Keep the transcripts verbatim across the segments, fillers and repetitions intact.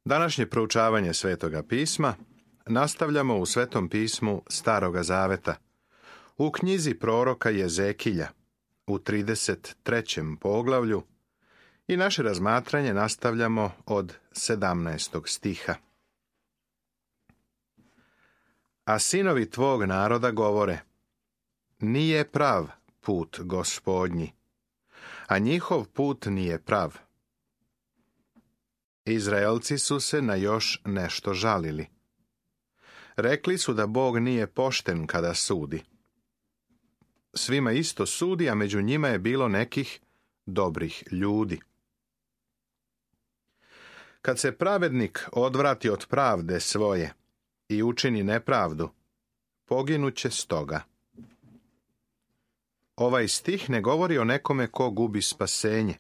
Današnje proučavanje Svetoga pisma nastavljamo u Svetom pismu Staroga zaveta, u knjizi proroka Jezekilja, u trideset trećem poglavlju, i naše razmatranje nastavljamo od sedamnaestog stiha. A sinovi tvog naroda govore: nije prav put Gospodnji, a njihov put nije prav. Izraelci su se na još nešto žalili. Rekli su da Bog nije pošten kada sudi. Svima isto sudi, a među njima je bilo nekih dobrih ljudi. Kad se pravednik odvrati od pravde svoje i učini nepravdu, poginuće stoga. Ovaj stih ne govori o nekome ko gubi spasenje.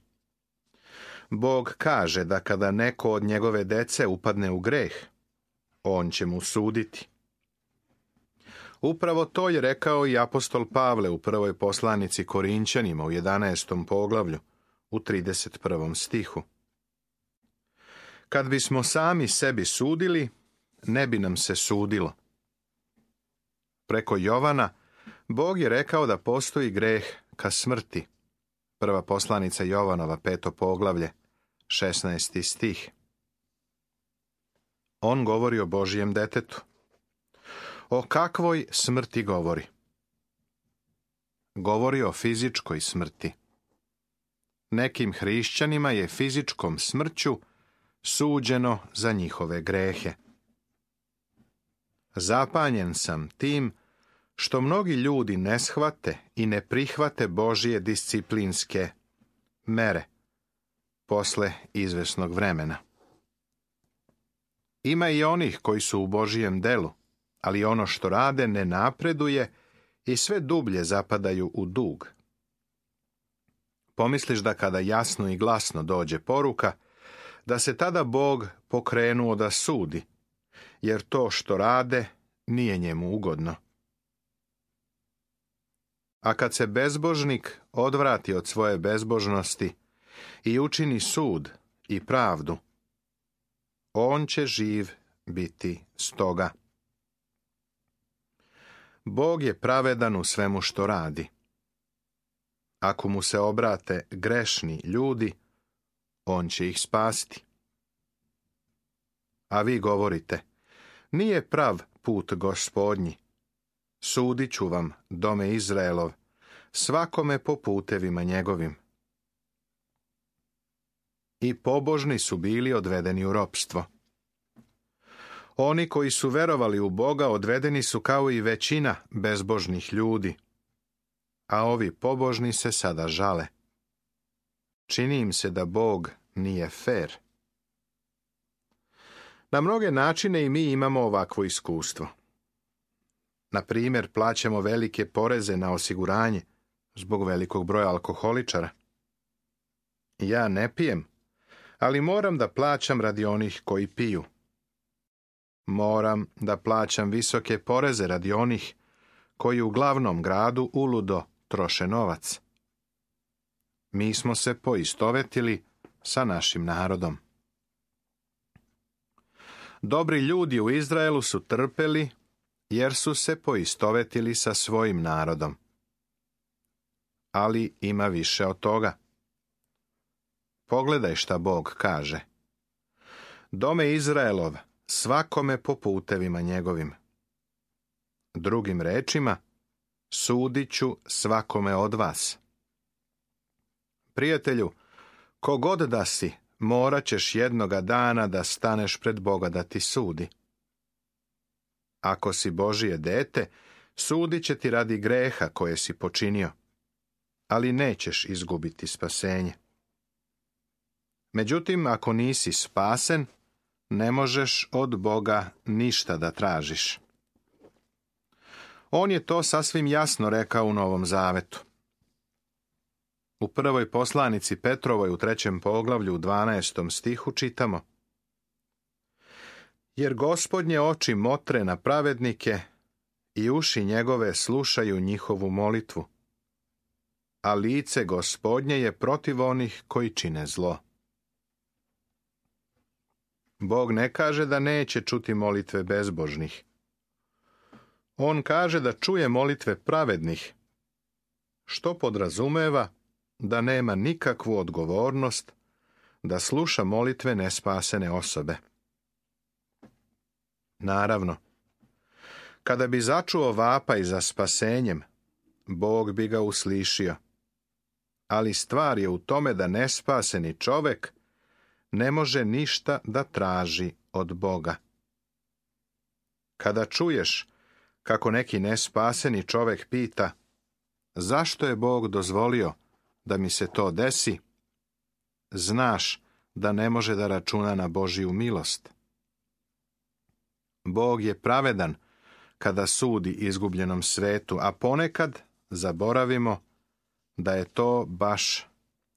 Bog kaže da kada neko od njegove dece upadne u greh, on će mu suditi. Upravo to je rekao i apostol Pavle u prvoj poslanici Korinćanima u jedanaestom poglavlju, u trideset prvom stihu. Kad bismo sami sebi sudili, ne bi nam se sudilo. Preko Jovana, Bog je rekao da postoji greh ka smrti. Prva poslanica Jovanova, peto poglavlje, šesnaesti stih. On govori o Božijem detetu. O kakvoj smrti govori? Govori o fizičkoj smrti. Nekim hrišćanima je fizičkom smrću suđeno za njihove grehe. Zapanjen sam tim što mnogi ljudi ne shvate i ne prihvate Božije disciplinske mere posle izvesnog vremena. Ima i onih koji su u Božijem delu, ali ono što rade ne napreduje i sve dublje zapadaju u dug. Pomisliš da kada jasno i glasno dođe poruka, da se tada Bog pokrenuo da sudi, jer to što rade nije njemu ugodno. A kad se bezbožnik odvrati od svoje bezbožnosti i učini sud i pravdu, on će živ biti stoga. Bog je pravedan u svemu što radi. Ako mu se obrate grešni ljudi, on će ih spasti. A vi govorite: nije prav put Gospodnji. Sudit ću vam, dome Izraelov, svakome po putevima njegovim. I pobožni su bili odvedeni u ropstvo. Oni koji su verovali u Boga odvedeni su kao i većina bezbožnih ljudi, a ovi pobožni se sada žale. Čini im se da Bog nije fer. Na mnoge načine i mi imamo ovakvo iskustvo. Na primjer, plaćamo velike poreze na osiguranje zbog velikog broja alkoholičara. Ja ne pijem, ali moram da plaćam radi onih koji piju. Moram da plaćam visoke poreze radi onih koji u glavnom gradu uludo troše novac. Mi smo se poistovetili sa našim narodom. Dobri ljudi u Izraelu su trpeli jer su se poistovetili sa svojim narodom. Ali ima više od toga. Pogledaj šta Bog kaže: dome Izraelov, svakome po putevima njegovim. Drugim rečima, sudit ću svakome od vas. Prijatelju, kogod da si, morat ćeš jednoga dana da staneš pred Boga da ti sudi. Ako si Božije dete, sudit će ti radi greha koje si počinio, ali nećeš izgubiti spasenje. Međutim, ako nisi spasen, ne možeš od Boga ništa da tražiš. On je to sasvim jasno rekao u Novom Zavetu. U prvoj poslanici Petrovoj u trećem poglavlju u dvanaestom stihu čitamo: jer Gospodnje oči motre na pravednike i uši njegove slušaju njihovu molitvu, a lice Gospodnje je protiv onih koji čine zlo. Bog ne kaže da neće čuti molitve bezbožnih. On kaže da čuje molitve pravednih, što podrazumeva da nema nikakvu odgovornost da sluša molitve nespasene osobe. Naravno, kada bi začuo vapaj za spasenjem, Bog bi ga uslišio. Ali stvar je u tome da nespaseni čovek ne može ništa da traži od Boga. Kada čuješ kako neki nespaseni čovek pita zašto je Bog dozvolio da mi se to desi, znaš da ne može da računa na Božiju milost. Bog je pravedan kada sudi izgubljenom svetu, a ponekad zaboravimo da je to baš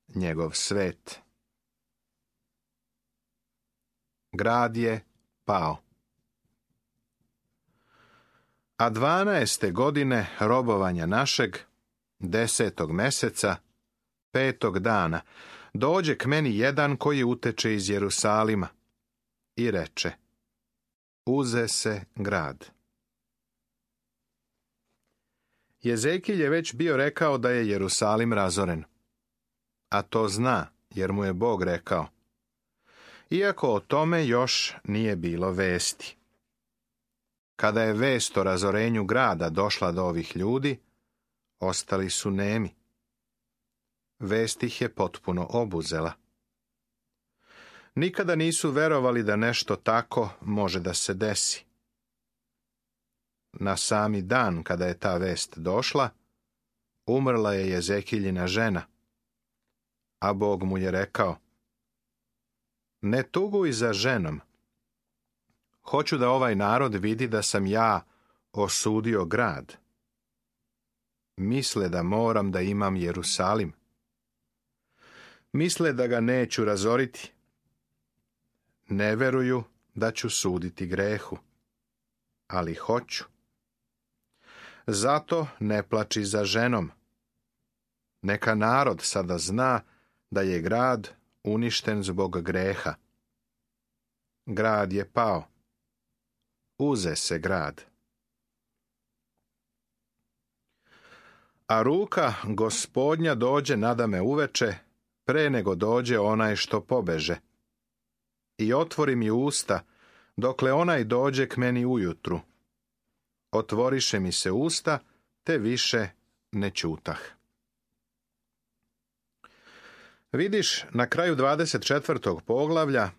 njegov svet. Grad je pao. A dvanaeste godine robovanja našeg, desetog meseca, petog dana, dođe k meni jedan koji uteče iz Jerusalima i reče: uze se grad. Jezekilj je već bio rekao da je Jerusalim razoren, a to zna jer mu je Bog rekao, iako o tome još nije bilo vesti. Kada je vest o razorenju grada došla do ovih ljudi, ostali su nemi. Vest ih je potpuno obuzela. Nikada nisu verovali da nešto tako može da se desi. Na sami dan kada je ta vest došla, umrla je Jezekiljina žena, a Bog mu je rekao: ne tuguj za ženom. Hoću da ovaj narod vidi da sam ja osudio grad. Misle da moram da imam Jerusalim. Misle da ga neću razoriti. Ne veruju da ću suditi grehu, ali hoću. Zato ne plači za ženom. Neka narod sada zna da je grad uništen zbog greha. Grad je pao. Uze se grad. A ruka Gospodnja dođe nadame uveče, pre nego dođe onaj što pobeže. I otvori mi usta, dokle onaj dođe k meni ujutru. Otvoriše mi se usta, te više ne ćutah. Vidiš, na kraju dvadeset četvrtog poglavlja,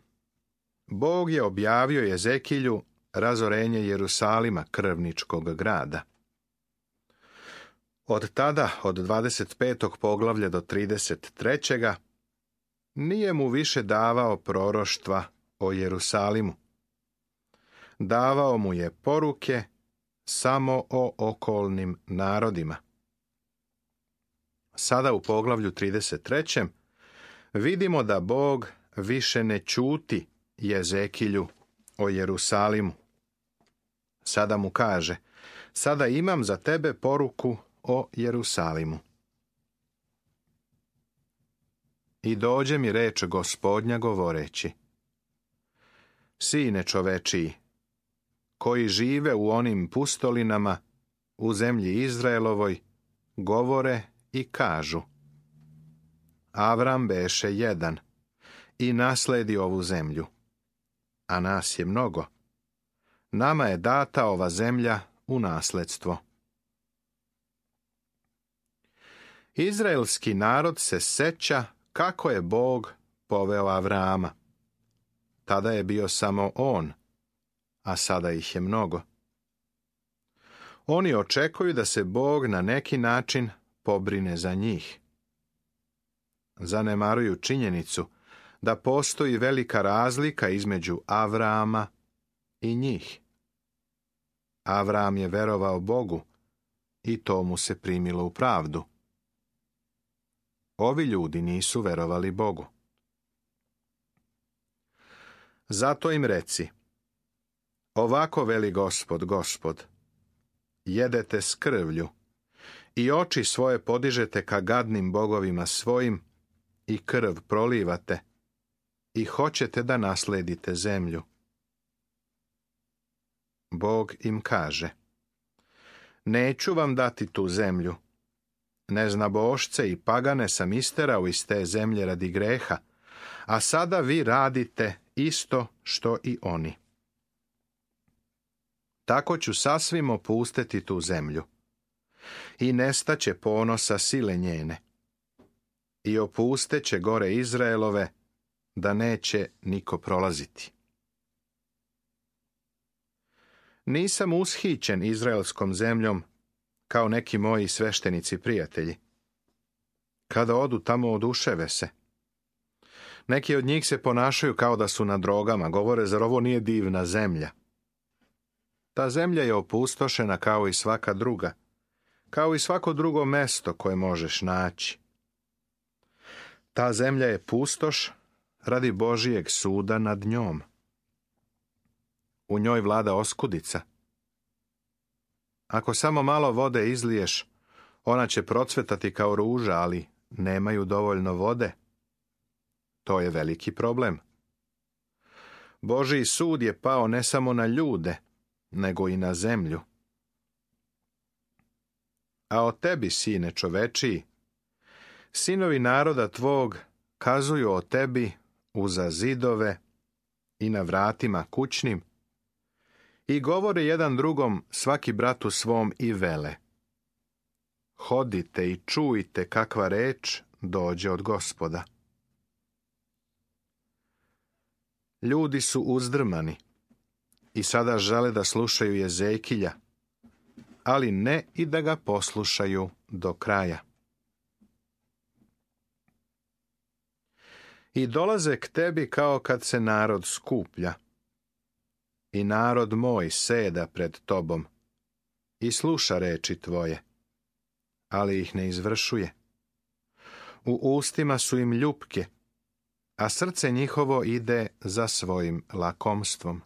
Bog je objavio Jezekilju razorenje Jerusalima, krvničkog grada. Od tada, od dvadeset petog poglavlja do trideset trećeg nije mu više davao proroštva o Jerusalimu. Davao mu je poruke samo o okolnim narodima. Sada u poglavlju trideset trećem vidimo da Bog više ne ćuti Jezekilju o Jerusalimu. Sada mu kaže: sada imam za tebe poruku o Jerusalimu. I dođe mi reč Gospodnja govoreći: sine čovečiji, koji žive u onim pustolinama u zemlji Izraelovoj, govore i kažu: Avram beše jedan i nasledi ovu zemlju, a nas je mnogo. Nama je data ova zemlja u nasledstvo. Izraelski narod se seća kako je Bog poveo Avrama. Tada je bio samo on, a sada ih je mnogo. Oni očekuju da se Bog na neki način pobrine za njih. Zanemaruju činjenicu da postoji velika razlika između Avrama i njih. Avram je verovao Bogu i to mu se primilo u pravdu. Ovi ljudi nisu verovali Bogu. Zato im reci: ovako veli Gospod, Gospod, jedete s krvlju i oči svoje podižete ka gadnim bogovima svojim i krv prolivate, i hoćete da nasledite zemlju. Bog im kaže: neću vam dati tu zemlju. Neznabošce i pagane sam isterao iz te zemlje radi greha, a sada vi radite isto što i oni. Tako ću sasvim opustiti tu zemlju i nestaće ponosa sile njene. I opusteće gore Izraelove, da neće niko prolaziti. Nisam ushićen izraelskom zemljom kao neki moji sveštenici prijatelji. Kada odu tamo, oduševe se. Neki od njih se ponašaju kao da su na drogama, govore: zar ovo nije divna zemlja? Ta zemlja je opustošena kao i svaka druga, kao i svako drugo mesto koje možeš naći. Ta zemlja je pustoš radi Božijeg suda nad njom. U njoj vlada oskudica. Ako samo malo vode izliješ, ona će procvetati kao ruža, ali nemaju dovoljno vode. To je veliki problem. Božji sud je pao ne samo na ljude, nego i na zemlju. A o tebi, sine čovečiji, sinovi naroda tvog kazuju o tebi uza zidove i na vratima kućnim i govore jedan drugom, svaki bratu svom, i vele: hodite i čujte kakva reč dođe od Gospoda. Ljudi su uzdrmani i sada žele da slušaju Jezekilja, ali ne i da ga poslušaju do kraja. I dolaze k tebi kao kad se narod skuplja. I narod moj seda pred tobom i sluša reči tvoje, ali ih ne izvršuje. U ustima su im ljupke, a srce njihovo ide za svojim lakomstvom.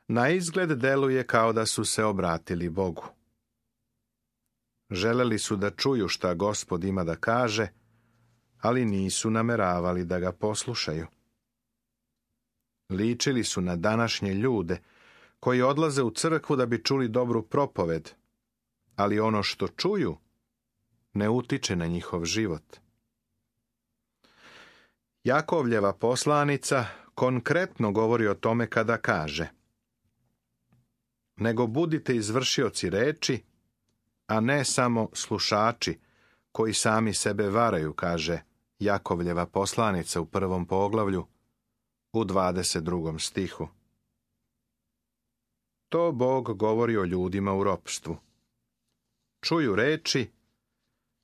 Na izgled deluje kao da su se obratili Bogu. Želeli su da čuju šta Gospod ima da kaže, ali nisu nameravali da ga poslušaju. Ličili su na današnje ljude koji odlaze u crkvu da bi čuli dobru propoved, ali ono što čuju ne utiče na njihov život. Jakovljeva poslanica konkretno govori o tome kada kaže: nego budite izvršioci reči, a ne samo slušači koji sami sebe varaju, kaže Jakovljeva poslanica u prvom poglavlju, u dvadeset drugom stihu. To Bog govori o ljudima u ropstvu. Čuju reči,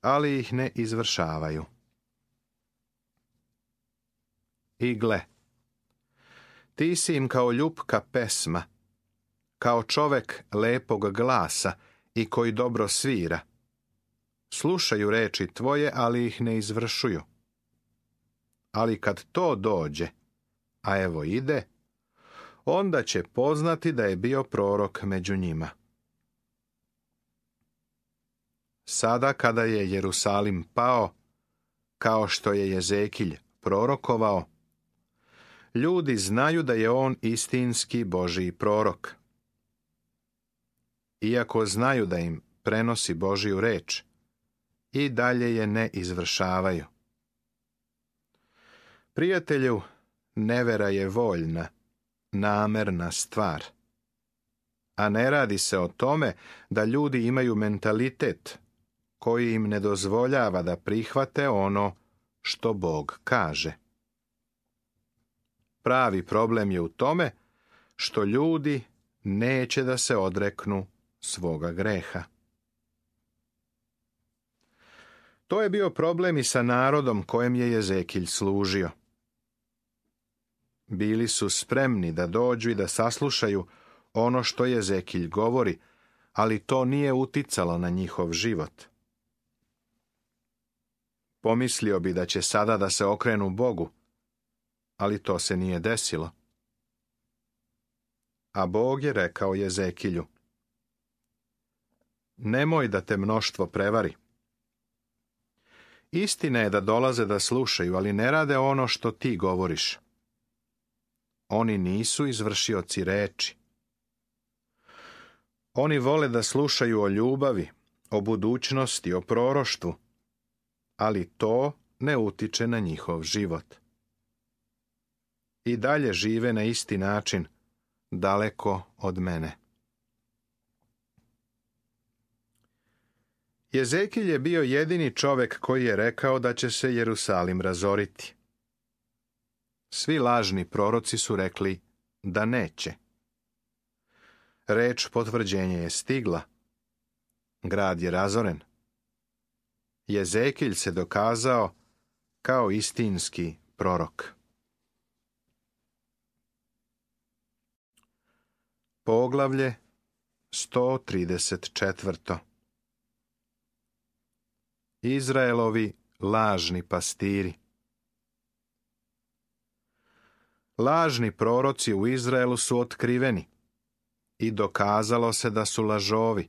ali ih ne izvršavaju. I gle, ti si im kao ljupka pesma, kao čovek lepog glasa i koji dobro svira. Slušaju reči tvoje, ali ih ne izvršuju. Ali kad to dođe, a evo ide, onda će poznati da je bio prorok među njima. Sada kada je Jerusalim pao, kao što je Jezekilj prorokovao, ljudi znaju da je on istinski Božji prorok. Iako znaju da im prenosi Božju reč, i dalje je ne izvršavaju. Prijatelju, nevera je voljna, namerna stvar. A ne radi se o tome da ljudi imaju mentalitet koji im ne dozvoljava da prihvate ono što Bog kaže. Pravi problem je u tome što ljudi neće da se odreknu svoga greha. To je bio problem i sa narodom kojem je Jezekilj služio. Bili su spremni da dođu i da saslušaju ono što Jezekilj govori, ali to nije uticalo na njihov život. Pomislio bi da će sada da se okrenu Bogu, ali to se nije desilo. A Bog je rekao Jezekilju: nemoj da te mnoštvo prevari. Istina je da dolaze da slušaju, ali ne rade ono što ti govoriš. Oni nisu izvršioci reči. Oni vole da slušaju o ljubavi, o budućnosti, o proroštvu, ali to ne utiče na njihov život. I dalje žive na isti način, daleko od mene. Jezekilj je bio jedini čovjek koji je rekao da će se Jerusalim razoriti. Svi lažni proroci su rekli da neće. Reč potvrđenja je stigla. Grad je razoren. Jezekilj se dokazao kao istinski prorok. Poglavlje sto trideset četiri. Izraelovi lažni pastiri. Lažni proroci u Izraelu su otkriveni i dokazalo se da su lažovi,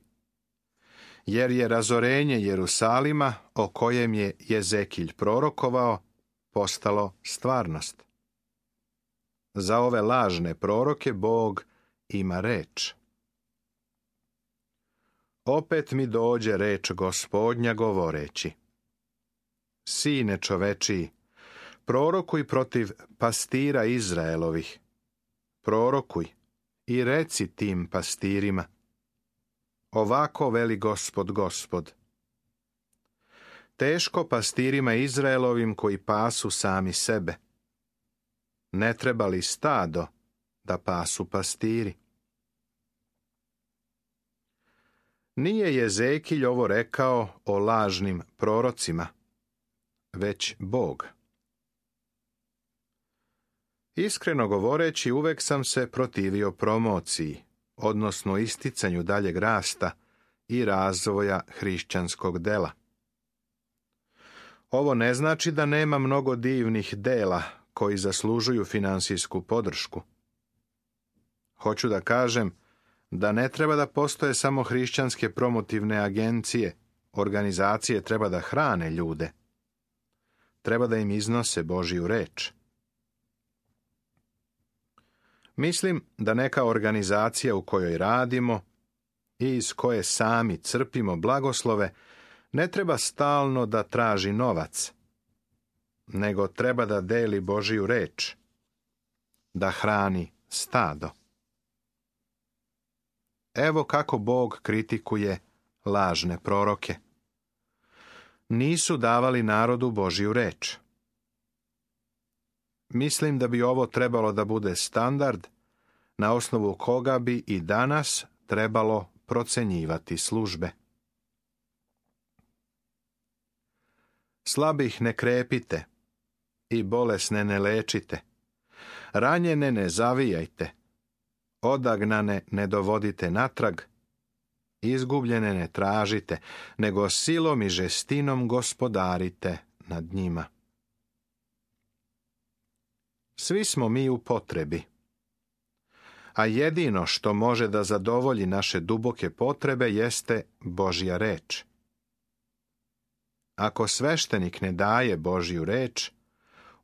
jer je razorenje Jerusalima, o kojem je Jezekilj prorokovao, postalo stvarnost. Za ove lažne proroke Bog ima reč. Opet mi dođe reč Gospodnja govoreći: Sine čovečiji, prorokuj protiv pastira Izraelovih. Prorokuj i reci tim pastirima: Ovako veli Gospod, Gospod. Teško pastirima Izraelovim koji pasu sami sebe. Ne treba li stado da pasu pastiri? Nije Jezekilj ovo rekao o lažnim prorocima, već Bog. Iskreno govoreći, uvek sam se protivio promociji, odnosno isticanju daljeg rasta i razvoja hrišćanskog dela. Ovo ne znači da nema mnogo divnih dela koji zaslužuju finansijsku podršku. Hoću da kažem da ne treba da postoje samo hrišćanske promotivne agencije, organizacije treba da hrane ljude. Treba da im iznose Božju reč. Mislim da neka organizacija u kojoj radimo i iz koje sami crpimo blagoslove ne treba stalno da traži novac, nego treba da deli Božju reč, da hrani stado. Evo kako Bog kritikuje lažne proroke. Nisu davali narodu Božju reč. Mislim da bi ovo trebalo da bude standard na osnovu koga bi i danas trebalo procenjivati službe. Slabih ne krepite i bolesne ne lečite. Ranjene ne zavijajte. Odagnane ne dovodite natrag. Izgubljene ne tražite, nego silom i žestinom gospodarite nad njima. Svi smo mi u potrebi, a jedino što može da zadovolji naše duboke potrebe jeste Božja reč. Ako sveštenik ne daje Božju reč,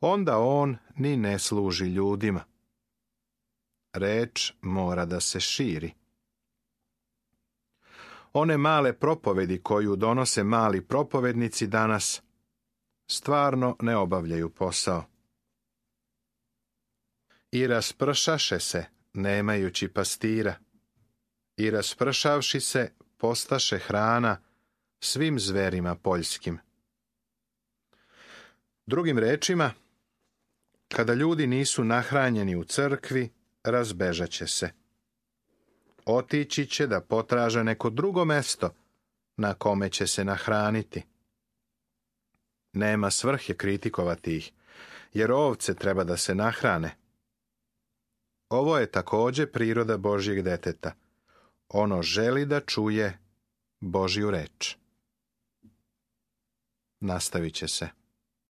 onda on ni ne služi ljudima. Reč mora da se širi. One male propovedi koju donose mali propovednici danas stvarno ne obavljaju posao. I raspršaše se, nemajući pastira, i raspršavši se, postaše hrana svim zverima poljskim. Drugim rečima, kada ljudi nisu nahranjeni u crkvi, razbežaće se. Otići će da potraže neko drugo mesto na kome će se nahraniti. Nema svrhe kritikovati ih, jer ovce treba da se nahrane. Ovo je također priroda Božjeg deteta. Ono želi da čuje Božju reč. Nastavit će se.